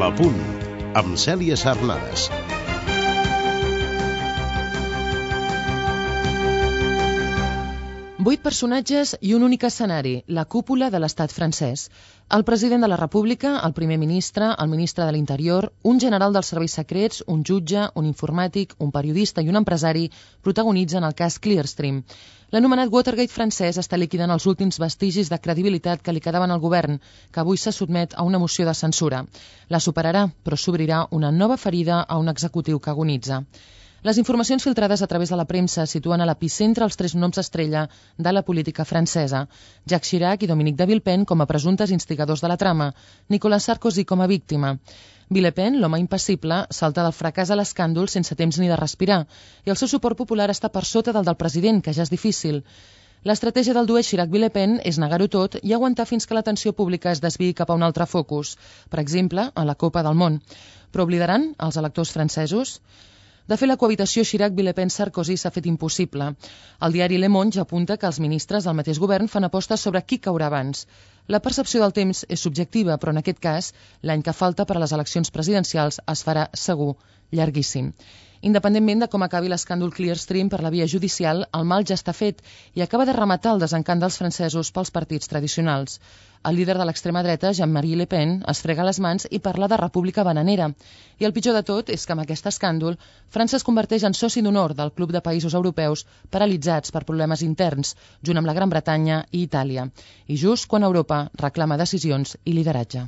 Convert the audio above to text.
La Punt, amb Cèlia Sarnades. Vuit personatges i un únic escenari, la cúpula de l'estat francès. El president de la República, el primer ministre, el ministre de l'Interior, un general dels serveis secrets, un jutge, un informàtic, un periodista i un empresari protagonitzen el cas Clearstream. L'anomenat Watergate francès està liquidant els últims vestigis de credibilitat que li quedaven al govern, que avui se sotmet a una moció de censura. La superarà, però s'obrirà una nova ferida a un executiu que agonitza. Les informacions filtrades a través de la premsa situen a l'epicentre els tres noms estrella de la política francesa: Jacques Chirac i Dominique de Villepin com a presumptes instigadors de la trama, Nicolas Sarkozy com a víctima. Villepin, l'home impassible, salta del fracàs a l'escàndol sense temps ni de respirar, i el seu suport popular està per sota del president, que ja és difícil. L'estratègia del duet Chirac-Villepin és negar-ho tot i aguantar fins que l'atenció pública es desviï cap a un altre focus, per exemple, a la Copa del Món. Però oblidaran els electors francesos? De fet, la cohabitació Chirac-Villepin-Sarkozy s'ha fet impossible. El diari Le Monde ja apunta que els ministres del mateix govern fan apostes sobre qui caurà abans. La percepció del temps és subjectiva, però en aquest cas, l'any que falta per a les eleccions presidencials es farà, segur, llarguíssim. Independentment de com acabi l'escàndol Clearstream per la via judicial, el mal ja està fet i acaba de rematar el desencant dels francesos pels partits tradicionals. El líder de l'extrema dreta, Jean-Marie Le Pen, es frega les mans i parla de república bananera. I el pitjor de tot és que amb aquest escàndol, França es converteix en soci d'honor del club de països europeus paralitzats per problemes interns, junt amb la Gran Bretanya i Itàlia. I just quan Europa reclama decisions i lideratge.